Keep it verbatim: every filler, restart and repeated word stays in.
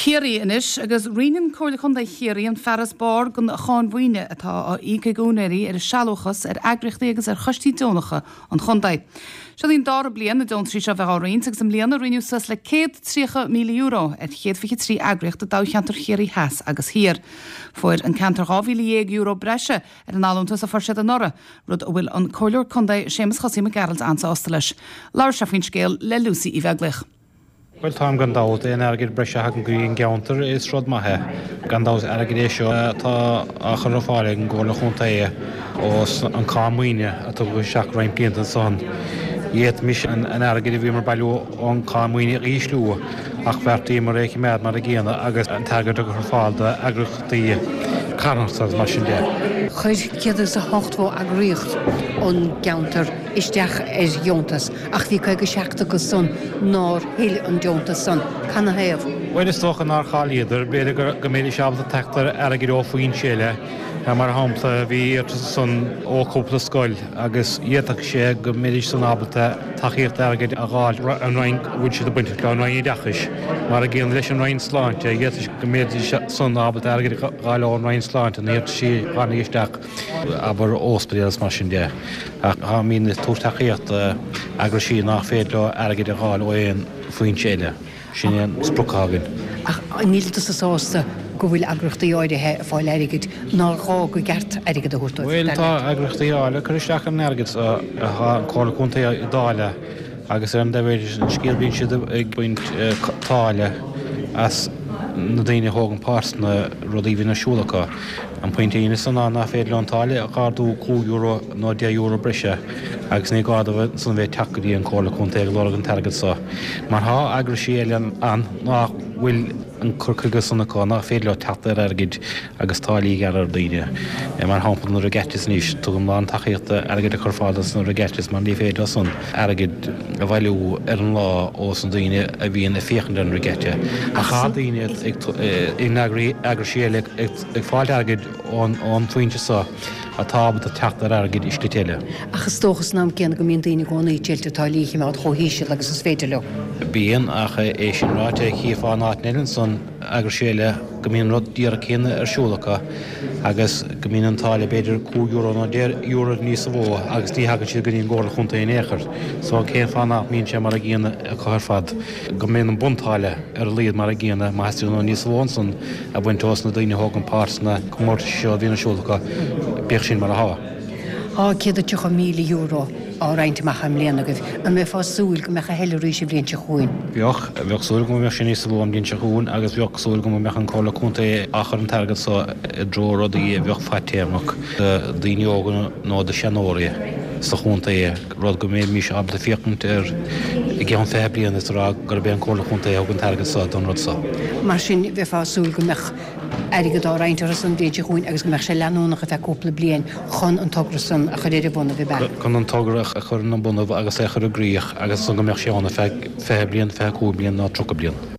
Ciarraí anois agus roinneann Comhairle Contae Chiarraí an farasbarr den cháin mhaoine atá á íoc ag úinéirí ar a sealúchas ar eagraíochtaí agus ar choistí deonacha an chontae. Seo í an dara bliain na deontaisí seo bheith á roinnt agus i mbliana roinneadh suas le céad tríocha míle euro ar chéad fiche trí eagraíocht i dtoghcheantar Chiarraí Theas agus Thiar. Fuair an ceantar dhá mhíle dhéag euro breise ar an allúntas a fuair siad anuraidh, rud a bhfuil an Comhairleoir Contae Séamus Chosaí Mac Gearailt an-sásta leis. Labhair sé faoin scéal le Lucy Uí Bheaglaoich. Bhuel táim gan dabht aon airgead breise a thagann go dtí an gceantar is rud maith é. Gan dabht airgead é seo atá á chur ar fáil ag an gComhairle Chontae ós an cáin maoine a tugadh isteach roinnt blianta ansan. D'fhéadfaimis an airgead a bhíomar ag bailiú ón cáin maoine a ísliú ach bheartaíomar é a choimeád mar a gcéanna agus an t-airgead a chur ar fáil d'eagraíochtaí carthanachta agus mar sin de. Chuir céad is a hochtó eagraíocht ón gceantar isteach ar dheontas ach bhí caoga seacht acu san nár thuill an deontas san. Canathaobh? Bhuel is dócha nár cháilíodar, b'fhéidir go mbeidís ábalta teacht ar airgead ó foinse eile. Mar shampla bhí iarratas ansan ó chúpla scoil agus d'fhéadfadh sé go mbeidís san ábalta tacaíocht airgid a dh'fháil an Roinn a bhfuil siad bainteach le an Roinn Oideachais. Mar a gcéanna leis an Roinn Sláinte, d'fhéadfadh sé go mbeidís san ábalta airgead a dh'fháil ón Roinn Sláinte na hiarrataisí a tháinig isteach. abair ospidéal is mar sin de. Ach táimid ag tabhairt tacaíocht d'eagraisí nach féidir leo airgead a dh'fháil ó aon foinse eile. Sin é an sprioc atá againn. Ach níl tusa sásta go bhfuil eagraíochtaí áirithe ag fáil airgid nár ghá go gceart airgead a thabhairt dóibh, Bhuel, dar tá leat? eagraíochtaí áirithe ag cur isteach ar an airgead atá an Comhairle Contae ag dáileadh agus ar an dtaobh eile den scéal bíonn siad ag baint táille as na daoine a thógann páirt sna rudaí a bhíonn ar siúl acu. An pointe a dhéanamh san ná nach féidir leo an táille a ardú cúig euro nó deich euro breise agus ní gá dóibh ansan bheith ag teacht go dtí an Comhairle Contae ag lorg an t-airgead so. Mar thá eagraisí eile ann nach bhfuil an cur chuige san acu, nach féidir leo teacht ar airgid agus táillí a ghearradh ar daoine. Mar shampla na regattas anois, tugaim lán tacaíochta airgead a chur ar fáil dos na regattas mar ní féidir leo san airgead a bhailiú ar an lá ós na daoine a bhíonn ag féachaint ar an regatta. Ach thá daoine ag in eagraisí eile ag ag fáilt airgid ón bhfoinse so atá ábalta teacht ar airgead i slite eile. Ach is dócha san am céanna go mbíonn daoine i gcónaí ag triail táillí a choimeád chomh híseal agus is féidir leo. Bíonn, ach é sin ráite, chífeá in áiteanna eile ansan, eagraisí eile, go mbíonn an rud díreach céanna ar siúl acu agus go mbíonn an táille b'fhéidir cúig euro nó deich euro níosa mhó agus ní thagann siad go dtí an gComhairle Chontae in aon chor. So cén fáth nach mbíonn sé mar a gcéanna acu ar fad? Go mbíonn an buntáille ar a laghad mar a gcéanna má theastaíonn uathu níos mó ansan a bhaint ós na daoine a thógann páirt sna comórtais seo a bhíonn ar siúl acu, bíodh sin mar athá. Tá céad is tríocha míle euro á roinnt amach i mbliana agaibh. An mbeifeá ag súil go mbeadh a thuilleadh arís an bhliain seo chugainn? Bheadh. Bheadh súil agam go mbeadh sé níosa mhó an bhliain seo chugainn agus bheadh súil agam go mbeadh an Comhairle Contae á chur an t-airgead so i dtreo rudaí a bheadh fadtéarmach do daoine óga nó do seanóirí sa chontae. rud go mbeimis ábalta féachaint air i gceann fiche bliain is a rá gurb é an Comhairle Chontae a thug an t-airgead so don rud so. Mar sin, bheifeá ag súil go mbeadh airgead á roinnt orthu san bhliain seo chugainn agus go mbeadh sé leanúnach ar feadh cúpla bliain chun an togra san a chur ar a bhonnaibh, ab ea? Chun an togra a chur ina bhonnaibh agus é a chur i gcrích agus ansan go mbeadh sé ann ar feadh fiche bliain, fiche cúig bliain nó tríocha bliain.